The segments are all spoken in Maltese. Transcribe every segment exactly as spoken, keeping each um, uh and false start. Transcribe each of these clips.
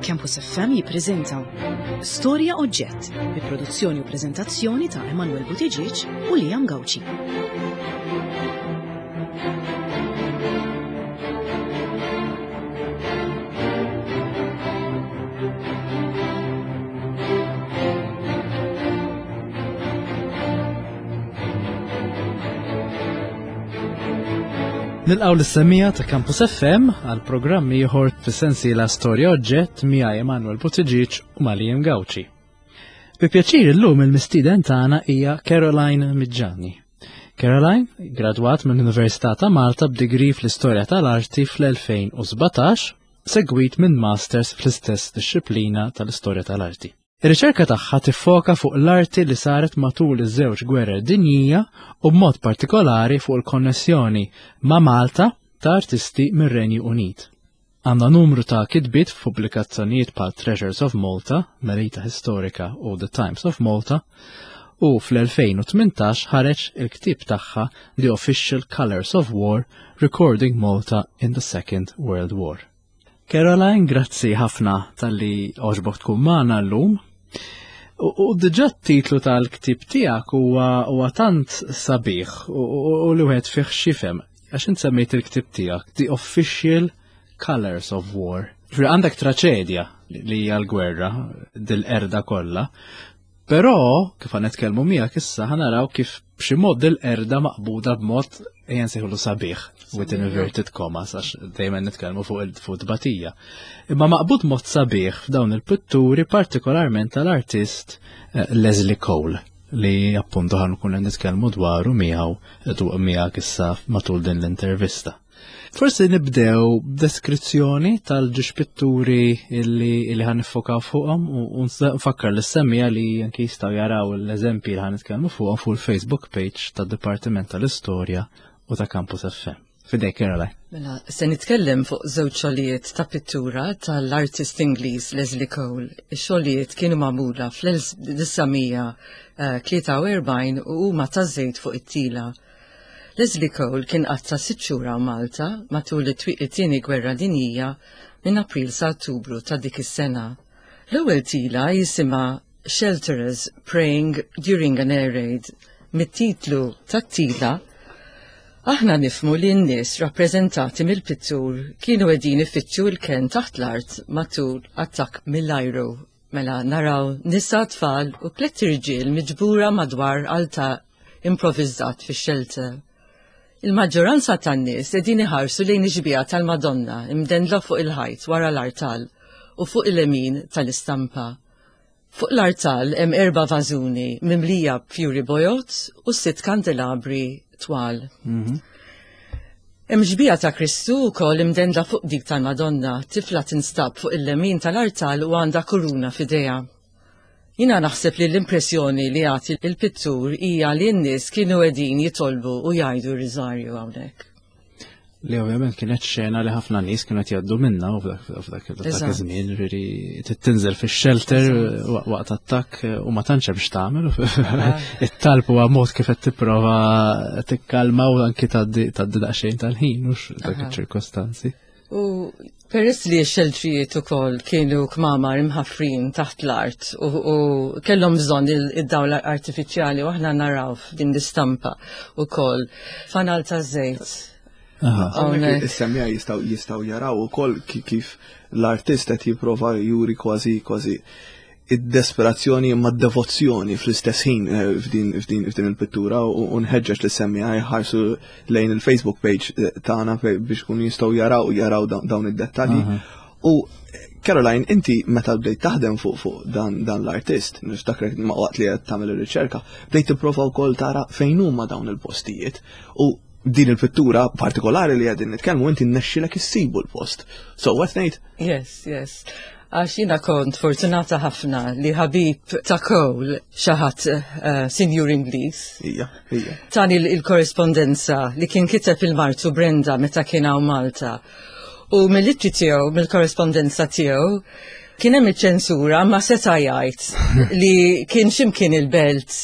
Campus F M jippreżenta Storja Oġġett bi produzzjoni u preżentazzjoni ta' Emanuel Buttigieg u Liam Gauci. Nilqgħu lis-semmiegħa ta' Campus F M għal programm ieħor fis-sensiela Storja Oġġett miegħi Emanuel Buttigieg u ma' Liam Gauci. Bi pjaċir illum il-mistieden tagħna hija Caroline Miġġani. Caroline gradwat mill-Università ta' Malta b'degree fl-Istorja tal-Arti fl-elfejn u sbatax, segwit minn Masters fl-istess disċiplina tal-Istorja tal-Arti. Ir-riċerka tagħha tiffoka fuq l-arti li saret matul iż-żewġ gwerer dinjija u b'mod partikolari fuq il-konnessjoni ma' Malta ta' artisti mir-Renju Unit. Għandha numru ta' kitbiet f'pubblikazzjonijiet bħal Treasures of Malta, Melita Historica u The Times of Malta, u fl-elfejn u tmintax ħareġ il-ktib tagħha The Official Colors of War: Recording Malta in the Second World War. Caroline, grazzi ħafna talli għoġbok tkun magħna llum. U, u diġà t-titlu tal-ktib tiegħek huwa huwa tant sabiħ u, u, u li wieħed fih x'jifhem. Għax int semmejt il-ktib tiegħek The Official Colors of War. Ġifieri għandek traċedja li hija l-gwerra, dil-qerda kollha. Però kif ħa nitkellmu miegħek issa, ħa naraw kif b'xi mod dil-qerda maqbuda b'mod, ejja nsejħulu, sabiħ, with inverted commas, għax dejjem nitkellmu fuq il-fuq tbatija. Imma maqbud mod sabiħ f'dawn il-pitturi, partikolarment tal-artist eh, Leslie Cole, li appuntu ħa nkunu nitkellmu dwaru miegħu miegħek issa matul din l-intervista. Forsi nibdew b'deskrizzjoni tal-ġiex pitturi illi, illi ħa niffokaw fuqhom u u nfakkar lis-semmiegħa li anki jistgħu jaraw l-eżempji li ħa nitkellmu fuqhom fuq il-Facebook page tad-Dipartiment tal-Istorja u ta' Campus F M. F'idejk, Caroline. Mela, se nitkellem fuq żewġ xogħlijiet ta' pittura tal-artist Ingliż Leslie Cole. Ix-xogħlijiet kienu magħmula fl-elf disa' mija tlieta u erbgħin u huma ta' żejt fuq it-tila. Leslie Cole kien qatta' sitt xhur Malta matul it-Tieni Gwerra Dinjija, minn April sa Ottubru ta' dik is-sena. L-ewwel tila jisimha Shelterers Praying During an Air Raid. Mit-titlu tat-tila aħna nifhmu li n-nies rappreżentati mill-pittur kienu qegħdin ifittxu l-ken taħt l-art matul attakk mill-ajru. Mela naraw nisa, tfal u tliet irġiel miġbura madwar altar improvviżat fix-shelter. Il-maġġoranza tan-nies qegħdin iħarsu lejn ix-xbieha tal-Madonna imdendla fuq il-ħajt wara l-artal u fuq il-lemin tal-istampa. Fuq l-artal hemm erba' vażuni mimlija b'fjuri bojod u sitt kandelabri twal. Hemm xbieha ta' Kristu wkoll imdendla fuq dik tal-Madonna, tifla tinstab fuq il-lemin tal-artal u għandha kuruna f'idejha. Jiena naħseb li l-impressjoni li jagħti il-pittur hija li n-nies kienu qegħdin jitolbu u jgħidu r-riżarju hawnhekk. Li ovvjament kienet xena li ħafna nies kienu qed jgħaddu minna u f'dak f'dak f'dak Eżatt. iż-żmien, ġifieri tinżel fix-shelter waqt attakk u ma tantx hemm x'tagħmel. It-talb huwa mod kif qed tipprova tikkalma u anki tgħaddi tgħaddi daqsxejn tal-ħin u dak Aha. iċ-ċirkostanzi. U peress li x-xeltrijiet ukoll kienu kmamar imħaffrin taħt l-art u, u kellhom bżonn il- id-dawl artifiċjali, u aħna naraw f'din l-istampa ukoll fanal ta' żejt. Aha. Hawnhekk Hawnhekk. is-semmiegħa jistgħu jistgħu jaraw ukoll ki- kif l-artist qed jipprova juri kważi kważi id-desperazzjoni ma d-devozzjoni fl-istess ħin eh, f'din f'din f'din il-pittura u u nħeġġeġ lis-semmiegħa jħarsu lejn il-Facebook page eh, tagħna fe- biex kun jistgħu jaraw jaraw dawn dawn id-dettalji. U Caroline, inti meta bdejt taħdem fuq fuq dan, dan l-artist, niftakrek ma waqt li qed tagħmel ir-riċerka, bdejt tipprova wkoll tara fejn huma dawn il-postijiet. U din il-pittura partikolari li qegħdin nitkellmu, inti nnexxilek issibu l-post. So what ngħid? Yes, yes. Għax jiena kont fortunata ħafna li ħabib ta' Cole, xi ħadd uh, Sinjur Ingliż, Ija, ija. tani il-korrespondenza li kien kiteb lil martu Brenda meta kien hawn Malta. U mill-ittri tiegħu, mill-korrespondenza tiegħu, kien hemm iċ-ċensura, ma seta' jgħid li kien x'imkien il-Belt.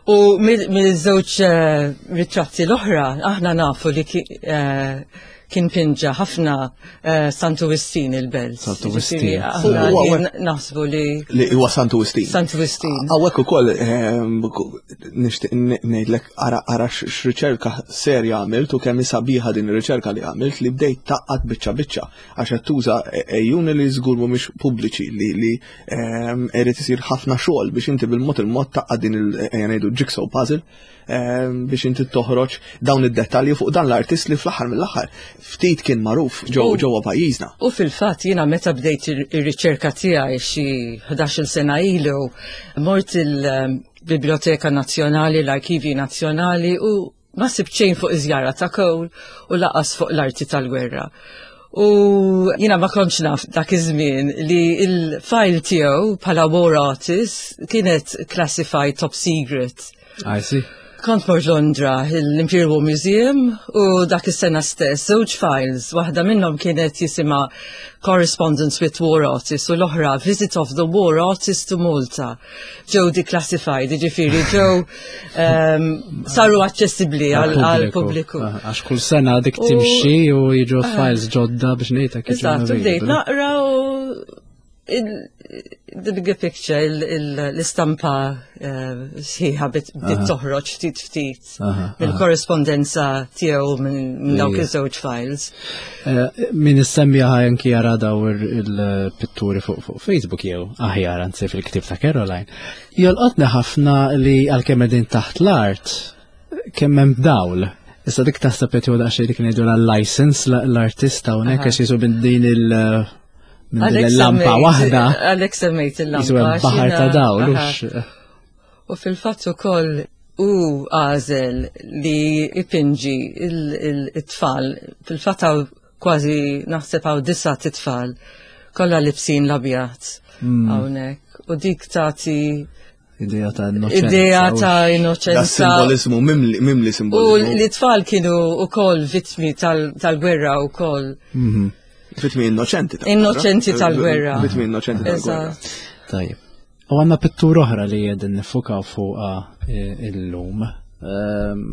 U mill-żewġ eh, ritratti l-oħra, aħna nafu li eh, kien pinġa ħafna eh, Santu Wistin il-Belt. Santu Wistin. Aħna naħsbu li. Li huwa Santu Wistin. Santu Wistin. Hawnhekk ukoll ehm, nixtieq ngħidlek ara x'riċerka serja għamilt u kemm sabiħa din ir-riċerka li għamilt, li bdejt tgħaqqad biċċa biċċa, għax qed tuża għejun li żgur mhumiex pubbliċi, li li ehm, irid isir ħafna xogħol biex inti bil-mod il-mod tgħaqqad din il ngħidu jigsaw puzzle ehm, biex inti toħroġ dawn id-dettalji fuq dan l-artist li fl-aħħar mill-aħħar ftit kien magħruf ġewwa pajjiżna. U fil-fatt jiena meta bdejt ir-riċerka tiegħi xi ħdax-il sena ilu, mort il-Biblioteka Nazzjonali, l-Arkivi Nazzjonali, u ma sibt xejn fuq iż-żjara ta' Cole u lanqas fuq l-arti tal-gwerra. U jina ma kontx naf dak iż-żmien li il-file tiegħu bħala war artist kienet classified top secret. I see. Kont mort Londra, l-Imperial War Museum, u dak is-sena stess, żewġ files, waħda minnhom kienet jisimha Correspondence with War Artists u l-oħra Visit of the War Artist to Malta. Ġew declassified, ġifieri ġew um, saru aċċessibbli għal pubbliku. Għax kull sena dik timxi u jiġu files ġodda biex ngħidlek. Eżatt, bdejt naqra u the bigger picture, l-istampa eh, sħiħa bdiet toħroġ ftit ftit mill-korrespondenza tiegħu minn dawk iż-żewġ files. Eh, min issemmija anki jara daw il-pitturi fuq Facebook jew aħjar anzi fil-ktib ta' Caroline. Jolqotni ħafna li għalkemm qegħdin taħt l-art kemm hemm dawl. Issa dik taħseb qed jew daqsxejn dik ngħidu l-license l-artista hawnhekk, għax jisu din il- minn il-lampa waħda. Għalek semmejt il-lampa. Baħar ta' dawl. U fil-fatt ukoll u għażel li ipinġi il-tfal, fil-fatt kważi naħseb hawn disa' tfal, kollha libsin l-abjad hmm. hawnhekk. U dik tagħti idea ta' innoċenza. Idea ta' innoċenza. Da simbolizmu, mimli, mimli simbolizmu. U li tfal kienu ukoll vittmi tal-gwerra ukoll. Mhm. Vittmi innoċenti tal-gwerra. Innoċenti tal-gwerra. Vittmi innoċenti tal-gwerra. Tajjeb. U għandna pittura oħra li qegħdin niffukaw fuqha eh, illum. Ehm,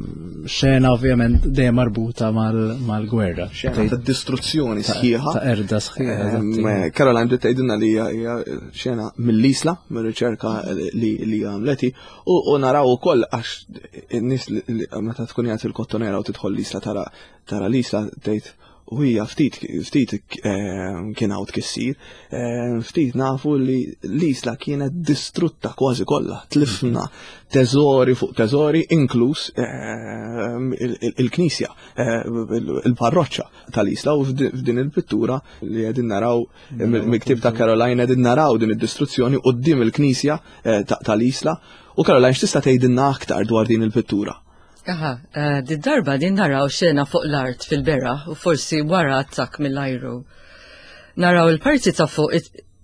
xena ovvjament dejjem marbuta mal-gwerra. Xena ta' distruzzjoni sħiħa. Ta' qerda sħiħa. Ehm, Caroline bdiet tgħidilna li hija xena mill-Isla, mir-riċerka li għamlet, u naraw ukoll għax in-nies meta tkun qiegħed il-Kottonera u tidħol l-Isla, tara tara l-Isla, tgħid u hija ftit ftit ehm, kien hawn tkissir, ehm, ftit nafu li l-Isla kienet distrutta kważi kollha, tlifna teżori fuq teżori, inkluż ehm, il-knisja, il-parroċċa tal-Isla, u f'din il-pittura li qegħdin naraw mill-ktib ta' Caroline qegħdin naraw din id-distruzzjoni quddiem il-knisja eh, tal-Isla. U Caroline, x'tista' tgħidilna aktar dwar din il-pittura? Aha, eh, di darba din naraw xena fuq l-art fil-beraħ u forsi wara attak mill-ajru. Naraw il-parti ta' fuq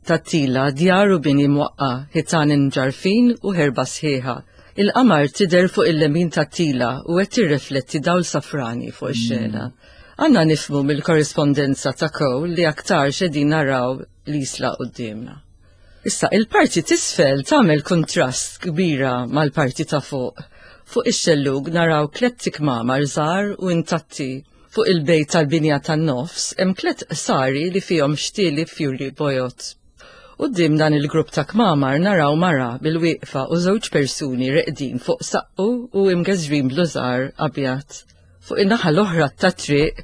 tat-tila, djar u bini mwaqqa, ħitan imġarfin u ħerba sħiħa. Il-qamar tidher fuq il-lemin tat-tila u qed tirrifletti dawl safrani fuq ix-xena. Għandna nifhmu mill-korrespondenza ta' Cole li aktar qegħdin naraw l-Isla quddiemna. Issa, il-parti t'isfel tagħmel kontrast kbira mal-parti ta' fuq. Fuq ix-xellug naraw tliet kmamar żgħar u intatti. Fuq il-bejt tal-binja tan-nofs hemm tliet qsari li fihom xtieli fjuri bojod. Quddiem dan il-grupp ta' kmamar naraw mara bil-wieqfa u żewġ persuni reqdin fuq saqqu u imgeżwrin b'liżar abjad. Fuq in-naħa l-oħra tat-triq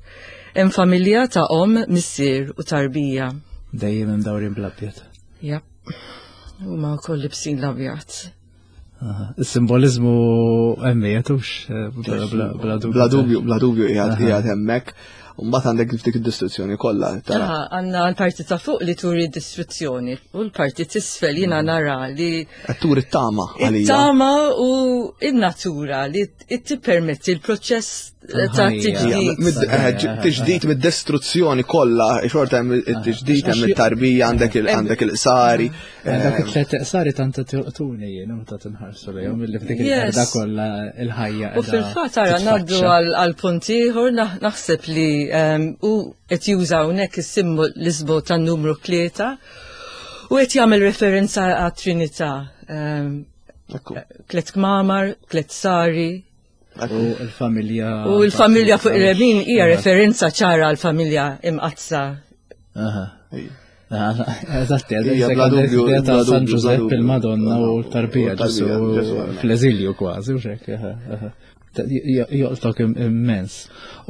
hemm familja ta' om, missier u tarbija. Dejjem imdawrin bl-abjad. Ja. Huma wkoll libsin l-abjad. Il-simbolizmu hemmhekk hux, eh, bla dubju. Bla dubju, bla dubju qiegħed hemmhekk. Mbagħad għandek dik id-distruzzjoni kollha. Għandna l-parti ta' fuq li turi distruzzjoni u l-parti t'isfel jiena nara li Qed turi t-tama għalija. It-tama u in-natura li tippermetti l-proċess ta' tiġdid. Eh, tiġdid mid-distruzzjoni kollha, xorta hemm it-tiġdid, hemm it-tarbija, għandek għandek il-qsari. Dak it-tliet qsari tant jolqtuni jien meta tinħarsu lejhom illi f'dik il-qerda kollha il-ħajja. U fil-fatt ara ngħaddu għal punt ieħor, naħseb li u qed juża hawnhekk is-simbolizmu tan-numru tlieta u qed jagħmel referenza għat-Trinità. Tliet kmamar, tliet sari. U l-familja. U l-familja fuq il-lemin hija referenza ċara għal-familja imqaddsa. Eżatt, ta' San Giuseppe, il-Madonna u l-tarbija Ġesu fl-eżilju kważi, u xek. Joqtok immens.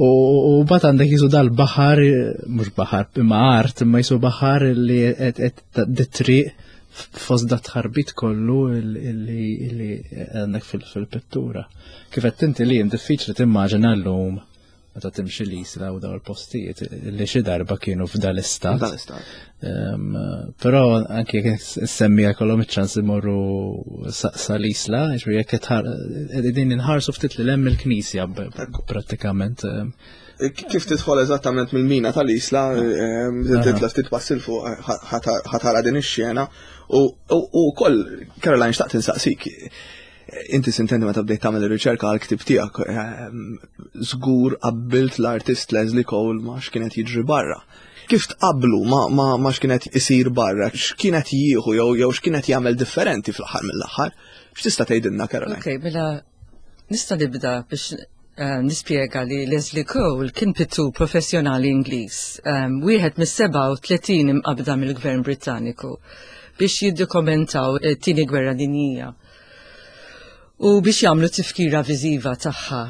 U bat għandek jisu dal-baħar, mhux baħar, imma art, imma jisu baħar li qed triq fost da tħarbit kollu li għandek fil-pittura. Kif qed inti li diffiċli timmaġina llum meta timxi l-Isla u daw il-postijiet li xi darba kienu f'dal-istat. Però anke jekk issemmija kollhom iċ-ċans imorru sal-Isla, jiġifieri jekk qegħdin inħarsu ftit lil hemm il-knisja prattikament. Kif tidħol eżattament mill-mina tal-Isla, titla ftit passi 'l fuq ħa tara din ix-xena u wkoll Caroline xtaqt insaqsik. Inti sintendi meta bdejt tagħmel ir-riċerka għal ktib tiegħek, żgur qabbilt l-artist Leslie Cole ma x'kienet jiġri barra. Kif tqablu ma ma x'kienet isir barra, x'kienet jieħu jew jew x'kienet jagħmel differenti fl-aħħar mill-aħħar? X'tista' tgħidilna Caroline? Okej, mela nista' nibda biex nispjega li Leslie Cole kien pittur professjonali Ingliż, wieħed mis-sebgħa u tletin imqabda mill-Gvern Britanniku biex jiddokumentaw it-tieni gwerra dinjija u biex jagħmlu tifkira viżiva tagħha.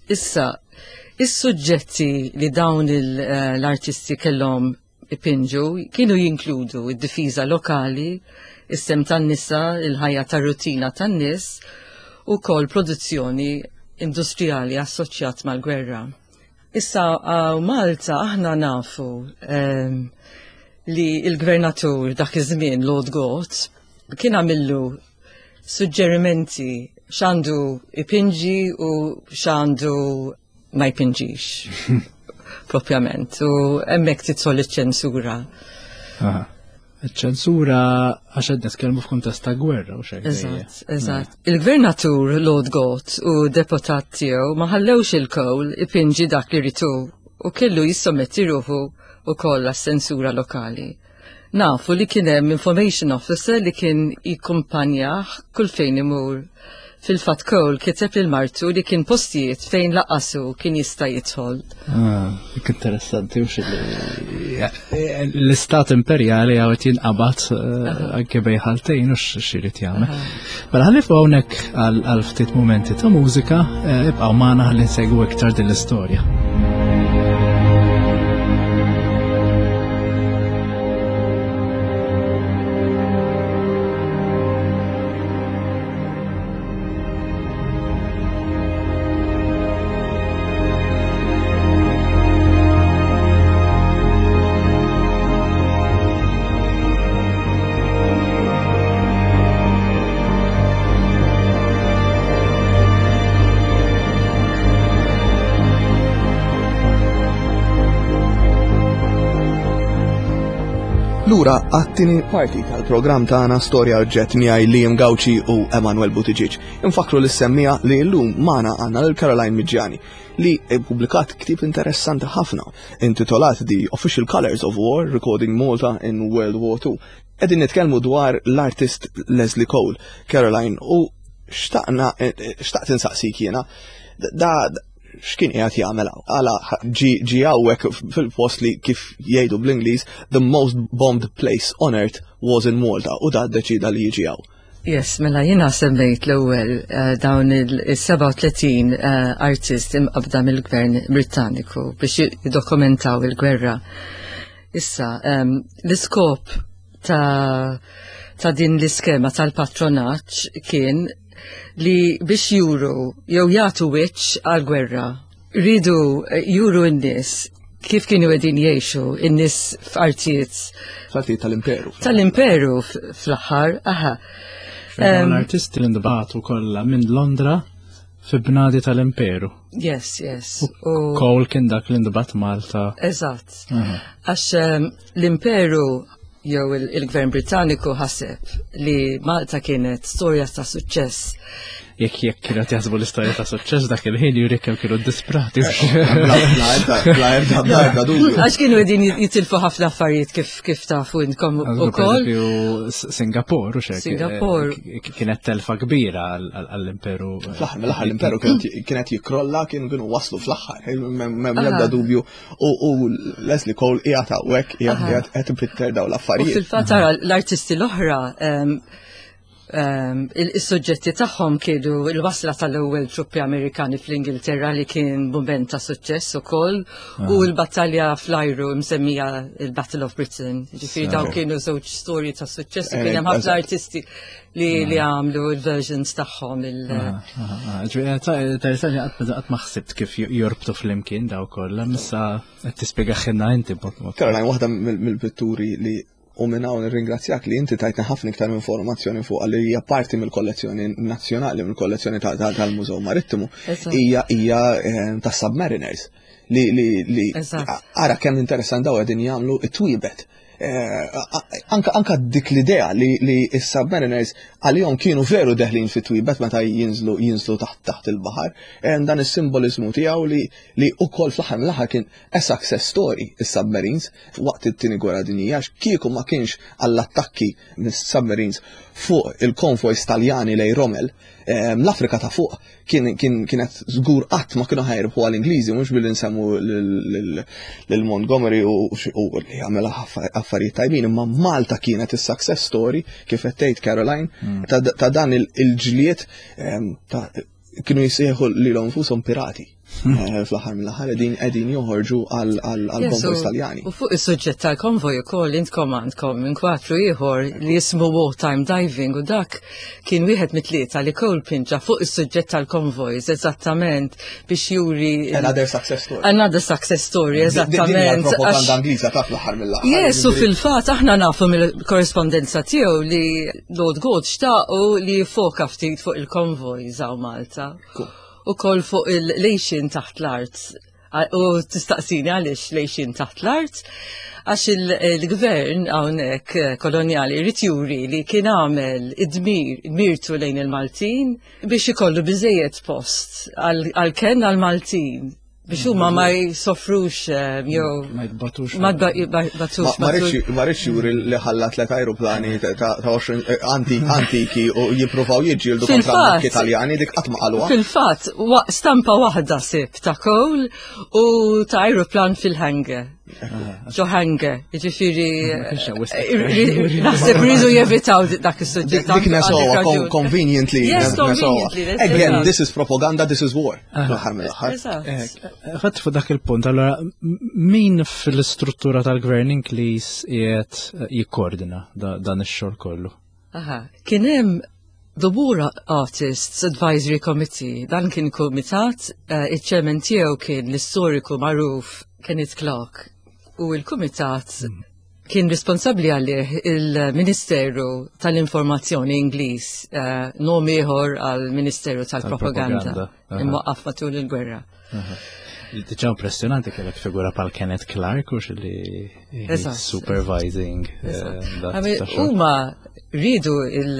Issa, is-suġġetti li dawn l-artisti kellhom ipinġu kienu jinkludu id-difiża lokali, is-sem tan-nisa, il-ħajja tar-rutina tan-nies u kol produzzjoni industrijali assoċjat mal-gwerra. Issa, Malta aħna nafu li il-gvernatur dak iż-żmien Lord Gort kien għamillu suġġerimenti x'għandu ipinġi u x'għandu ma jpinġix propjament, u hemmhekk tidħol iċ-ċensura. Iċ-ċensura għax qed nitkellmu f'kuntest ta' gwerra u xejn. Eżatt, eżatt. Il-gvernatur Lord Gort u deputat tiegħu ma ħallewx il-Cole ipinġi dak li ritu u kellu jissommetti ruħu ukoll għas-sensura lokali. Nafu li kien hemm information officer li kien jikkumpanjah kull fejn imur. Fil-fatt Cole kiteb lil martu li kien postijiet fejn laqasu kien jista' jidħol. Ah, dik interessanti u xi l-istat imperjali għaw qed jinqabad anke bejn ħaltejn u x'irid jagħmel. Mela ħalli fuq hawnhekk għal ftit mumenti ta' mużika, ibqgħu magħna ħalli nsegwu iktar din l-istorja. Lura għat-tieni parti tal-programm tagħna Storja Oġġett miegħi Liam Gauci u Emanuel Buttigieg. Infakkru lis-semmiegħa li llum magħna għandna lil Caroline Miggiani li ppubblikat ktieb interessanti ħafna intitolat The Official Colors of War: Recording Malta in World War Two. Qegħdin nitkellmu dwar l-artist Leslie Cole, Caroline, u xtaqna xtaqt insaqsik jiena da x'kien qiegħed jagħmel hawn? Għala ġi hawnhekk fil-post li kif jgħidu bl-Ingliż the most bombed place on earth was in Malta, u da ddeċida li jiġi hawn. Yes, mela jiena semmejt l-ewwel dawn il-sebgħa u tletin artist imqabda mill-Gvern Britanniku biex jiddokumentaw il-gwerra. Issa, l-iskop ta', ta' din l-iskema tal-patronaġġ kien li biex juru jew jagħtu wiċċ għall-gwerra. Ridu juru n-nies kif kienu qegħdin jgħixu n-nies f'artijiet. F'artijiet tal-imperu. Tal-imperu fl-aħħar, aha. L-artisti li ndbagħtu kollha minn Londra fi bnadi tal-imperu. Yes, yes. U Cole kien dak li ndbagħat Malta. Eżatt. Għax l-imperu jew il-Gvern Britanniku ħaseb li Malta kienet storja ta' suċċess. Jekk jekk kienu jaħsbu l-istorja ta' suċċess dak il-ħin juri kemm kienu disprati. Bla ebda bla ebda dubju. Għax kienu qegħdin jitilfu ħafna affarijiet kif kif tafu intkom ukoll. Singapore u xek. Singapore. Kienet telfa kbira għall-imperu. Fl-aħħar mill-aħħar l-imperu kienet jikrolla, kienu kienu waslu fl-aħħar, m'hemm l-ebda dubju. U Leslie Cole qiegħed hawnhekk qiegħed qed ipitter dawn l-affarijiet. Fil-fatt tara l-artisti l-oħra il-suġġetti tagħhom kienu il-wasla tal-ewwel truppi Amerikani fl-Ingilterra li kien mument ta' suċċess ukoll u l-battalja fl-ajru msemmija il-Battle of Britain. Ġifieri dawn kienu żewġ storji ta' suċċess u kien hemm ħafna artisti li li għamlu il-versions tagħhom il- Interessanti, qatt ma ħsibt kif jorbtu flimkien daw kollha, issa qed tispjegahielna inti b'mod. Caroline, waħda mill-pitturi li u minn hawn nirringrazzjak li inti tajtna ħafna iktar informazzjoni fuq li hija parti mill-kollezzjoni nazzjonali, mill-kollezzjoni tal-Mużew Marittimu, hija hija tas Submariners li li li ara kemm interessant daw qegħdin jagħmlu it-twiebet. Anka anka dik l-idea li li s-submariners għalihom kienu veru deħlin fit-twiebet meta jinżlu jinżlu taħt taħt il-baħar, dan is-simbolizmu tiegħu li li ukoll fl-aħħar mill-aħħar kien a success story is-submarines waqt it-tieni gwerra dinjija, kieku ma kienx għall-attakki mis-submarines fuq il-konvojs Taljani lejn Rommel, l-Afrika ta' fuq kien kienet żgur qatt ma kienu ħa jirbħu għall-Ingliżi, mhux billi nsemmu lil Montgomery u li għamel affarijiet tajbin, imma Malta kienet is-success story kif qed tgħid Caroline ta' dan il-ġlied kienu jisejħu lilhom infushom pirati. Fl-aħħar mill-aħħar qegħdin qegħdin joħorġu għal konvojs Taljani. U fuq is-suġġett tal-konvoj ukoll intkom għandkom inkwatru ieħor li jismu Wartime Diving u dak kien wieħed mit-tlieta li Cole pinġa fuq is-suġġett tal-konvojs eżattament biex juri Another success story. Another success story, eżattament. Propaganda Ingliża ta' fl-aħħar mill-aħħar. Yes, u fil-fatt aħna nafu mill-korrespondenza tiegħu li Lord Gort xtaqu li jiffoka ftit fuq il-konvojs hawn Malta. Ukoll fuq il-għixien taħt l-art. U tistaqsini għaliex l-għixien taħt l-art, għax il-gvern hawnhekk kolonjali jrid juri li kien għamel id-dmir, dmirtu lejn il-Maltin biex ikollu biżejjed post għal-ken għal-Maltin biex huma ma jsofrux jew ma jbatux. Ma jbatux. Ma rridx juri li ħalla tlet ajruplani ta' għoxrin antiki u jippruvaw jiġġieldu kontra Italjani, dik qatt ma qaluha. Fil-fatt, stampa waħda sib ta' Cole u ta' ajruplan fil-hangar. Ġo hangar, ġifieri. Naħseb rridu jevitaw dak is-suġġett. Dik nesowa, conveniently. Yes, conveniently. Again, this is propaganda, this is war. Ħadd fuq dak il-punt, allora min fil-istruttura tal-gvern Ingliż qiegħed jikkoordina dan ix-xogħol kollu? Aha, kien hemm The War Artists Advisory Committee, dan kien kumitat, iċ-chairman tiegħu kien l-istoriku magħruf Kenneth Clark u il-kumitat kien responsabli għalih il-Ministeru tal-Informazzjoni Ingliż, uh, nom ieħor għal-Ministeru tal-Propaganda, imwaqqaf matul il-gwerra. Diġà impressjonanti kellek figura bħal Kenneth Clark u li supervising. Huma rridu il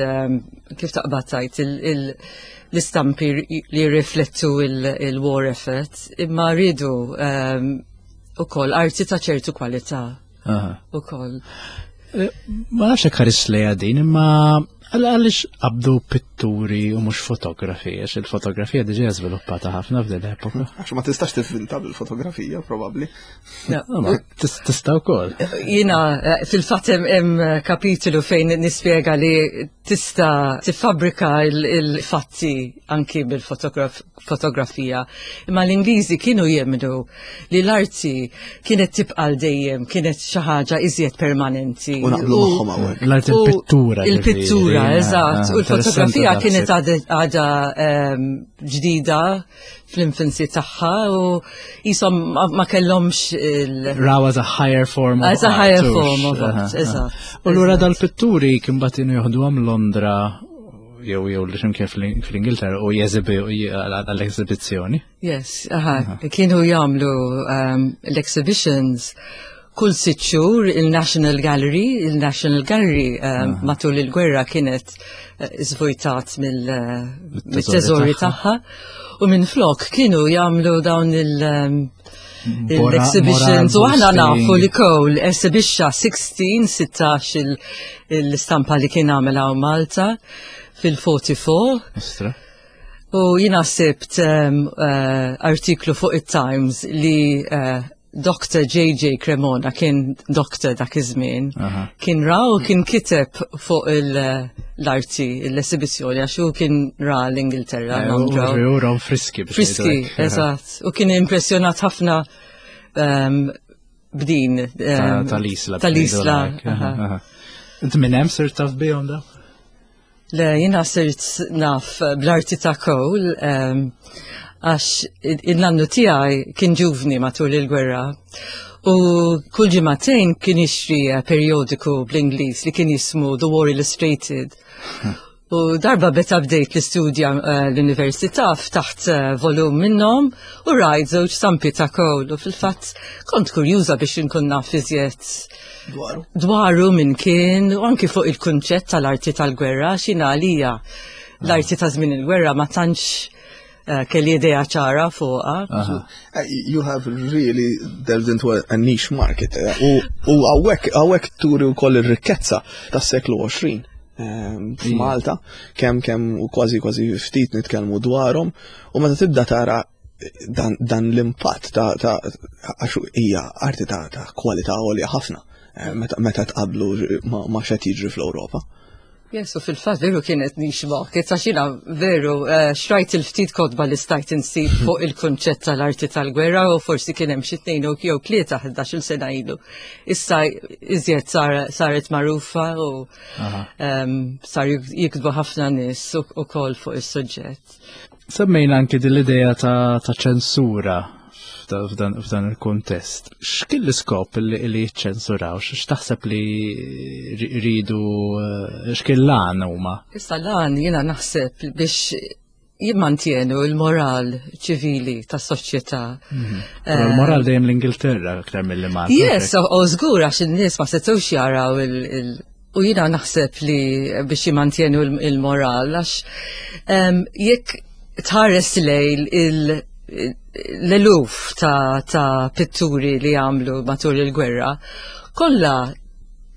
kif taqbad tgħid l-istampi li riflettu il-war effort, imma rridu ukoll arti ta' ċertu kwalità. Ukoll. Eh, ma nafx hekk ħares lejha din, imma għaliex qabdu pitturi u mhux fotografi, għax il-fotografija diġà żviluppata ħafna f'din l-epoka. Għax ma tistax tivvinta bil-fotografija, probabbli. Tista' wkoll. Jiena eh, fil-fatt hemm kapitolu fejn nispjega li tista' tiffabrika il-fatti anki bil-fotografija. Imma l-Ingliżi kienu jemmnu li l-arti kienet tibqa' dejjem, kienet xi ħaġa iżjed permanenti. U naqblu magħhom hawnhekk. L-arti, il-pittura. Il-pittura, eżatt. U l-fotografija kienet għadha ehm, ġdida fl-infancy tagħha u jisom ma kellhomx il- Raw as a higher form of As a higher form of art, eżatt. U lura dal-pitturi kien bagħtu joħduhom Londra jew jew li x'imkien fl-Ingilterra u jeżibi għall-eżibizzjoni. Yes, aha, kienu jagħmlu um, l-exhibitions Kull sitt xhur il-National Gallery, il-National Gallery um, matul il-gwerra kienet uh, żvojtat mill-teżori tagħha u minn flok kienu jagħmlu dawn il- um, l-exhibitions u aħna nafu li Cole esibixxa sittax, sittax il-stampa li kien għamel hawn Malta fil-erbgħa u erbgħin. U jina sibt um, uh, artiklu fuq it-Times li uh, Doctor J J. Cremona, kien doctor dak iż-żmien, kien ra u kien kiteb fuq l-arti, l-esibizzjoni, għax hu kien ra l-Ingilterra. Londra. Friski. Friski, eżatt. U kien impressjonat ħafna um, b'din. Um, Tal-Isla. Tal-Isla. Int minn hemm sirt taf bihom da? Le, jina sirt naf bl-arti ta' Cole, um, għax il-nannu tiegħi kien ġuvni matul il-gwerra. U kull ġimagħtejn kien jixtri periodiku bl-Ingliż li kien jismu The War Illustrated. U darba meta bdejt l-istudja uh, l-università, ftaħt uh, volum minnhom u rajt żewġ stampi ta' Cole u fil-fatt kont kurjuża biex inkun naf iżjed dwaru. Dwaru, min kien u anki fuq il-kunċett tal-arti tal-gwerra, x'inhi għalija l-arti ta' żmien il-gwerra, ma tantx uh, kelli idea ċara fuqha. You have really delved into a, a niche market. U hawnhekk hawnhekk turi wkoll ir-rikkezza tas-seklu għoxrin f'Malta, kemm kemm u kważi kważi ftit nitkellmu dwarhom, u meta tibda tara dan, dan l-impatt ta' ta' għax hija arti ta' ta' kwalità għolja ħafna meta, meta tqablu ma, ma x'qed jiġri fl-Ewropa. Yes, u fil-fatt veru kienet niche market, għax jiena veru uh, xtrajt il-ftit kotba li stajt insib fuq il-konċett tal-arti tal-gwerra u forsi kien hemm xi tnejn jew tlieta ħdax-il sena ilu. Issa iżjed saret magħrufa u um, sar jiktbu ħafna nies ukoll fuq is-suġġett. Semmejna anki din l-idea ta' ċensura f'dan il-kontest. X'kien l-iskop li jiċċensuraw? X'taħseb li rridu, x'kien l-għan huma? Issa l-għan jiena naħseb biex jimmantienu il-moral ċivili tas soċjetà. Mhm. Però l-moral dejjem l-Ingilterra aktar mill-li Malta. Yes, u żgur, għax in-nies ma setgħux jaraw il- U jiena naħseb li biex jimmantienu il-moral, għax jekk tħares lejn il- l-eluf ta', ta pitturi li għamlu matul il-gwerra, kollha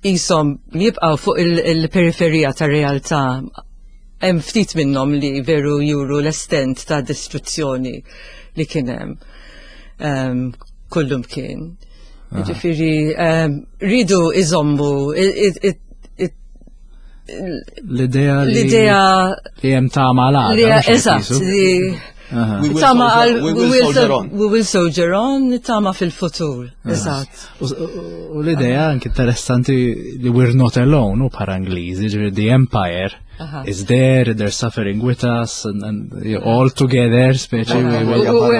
jisom jibqaw fuq il-periferija ta' realtà. Hemm ftit minnhom li veru juru l-estent ta' distruzzjoni li kien hemm um, kullum kien. Ġifieri, um, ridu iżommu l-idea li l-idea li hemm tama l Eżatt, li tama għal we will soldier on. We will soldier on, tama fil-futur. Eżatt. U l-idea anki interessanti li we're not alone u bħala Ingliżi, ġifieri the empire is there, they're suffering with us and, and all together, speċi.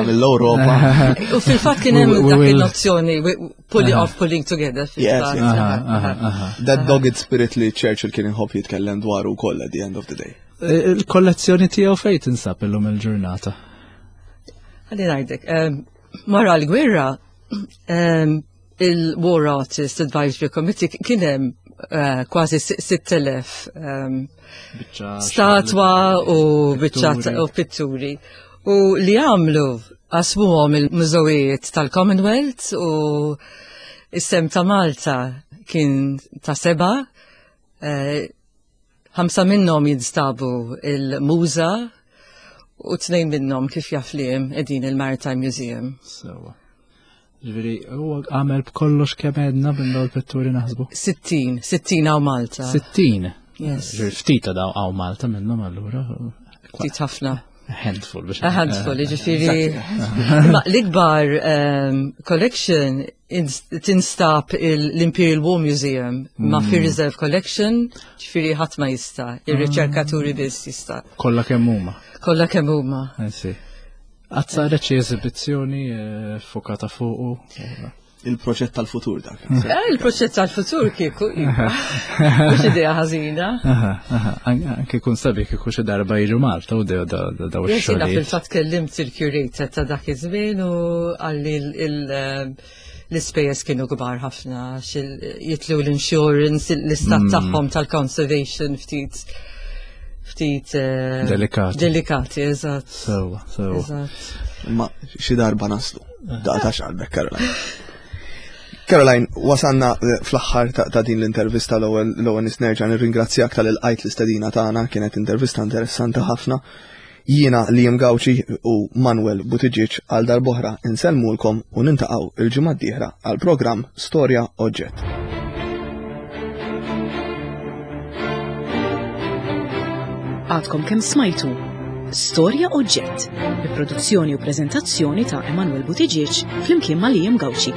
Mill-Europa. U fil-fatt kien hemm dak il-nozzjoni pulling off, pulling together. Yes, That dogged spirit li Churchill kien inħobb jitkellem dwaru wkoll at the end of the day. Il-kollezzjoni tiegħu fejn tinsab illum il-ġurnata? Ħalli ngħidlek, wara l-gwerra, il-War Artist Advisory Committee kien hemm eh, kważi sitt elef statwa u biċċa u pitturi. U li għamlu, qasmuhom il-mużewijiet tal-Commonwealth u is-sehem ta' Malta kien ta' seba, eh, ħamsa minnhom jinstabu il-MUŻA u tnejn minnhom, kif jaf li qegħdin il-Maritime Museum. Sewa. Ġifieri, huwa għamel b'kollox kemm għedna minn dawn il-pitturi naħsbu? Sittin, sittin hawn Malta. Sittin? Yes. Ġifieri ftit daw hawn Malta minnhom allura. Ftit ħafna. Handful biex. A handful, ġifieri. Ma l-ikbar um, collection tinstab l-Imperial War Museum ma fi mm. Reserve Collection, ġifieri ħadd ma jista', ir-riċerkaturi biss jista'. Kollha kemm huma. Kollha kemm huma. Qatt saret xi eżibizzjoni eh, fokata fuqu? Il-proġett tal-futur dak. Eh, il-proġett tal-futur kieku, iva. Mhux idea ħażina. Anke kun sabi kieku xi darba jiġu Malta u daw ix-xogħol. Jiena fil-fatt kellimt il-curator ta' dak iż-żmien u qalli l-ispejjeż kienu kbar ħafna jitlu l-insurance, l-istat mm. tagħhom tal-conservation ftit ftit eh, delikati. Delikati, eżatt. Sewa, sewa. Ma xi darba naslu. Daqta x'qalbek, Caroline. Caroline, wasanna eh, fl-aħħar ta' din l-intervista. L-ewwel l-ewwel nerġa' nirringrazzjak tal-ilqajt l-istedina tagħna, kienet intervista interessanti ħafna. Jiena Liam Gauci u Manuel Buttigieg għal darb'oħra insellmulkom u nintaqgħu il-ġimgħa d-dieħla għal programm Storja Oġġett. Għadkom kemm smajtu Storja Oġġett, bi produzzjoni u preżentazzjoni ta' Emanuel Buttigieg flimkien ma' Liam Gauci.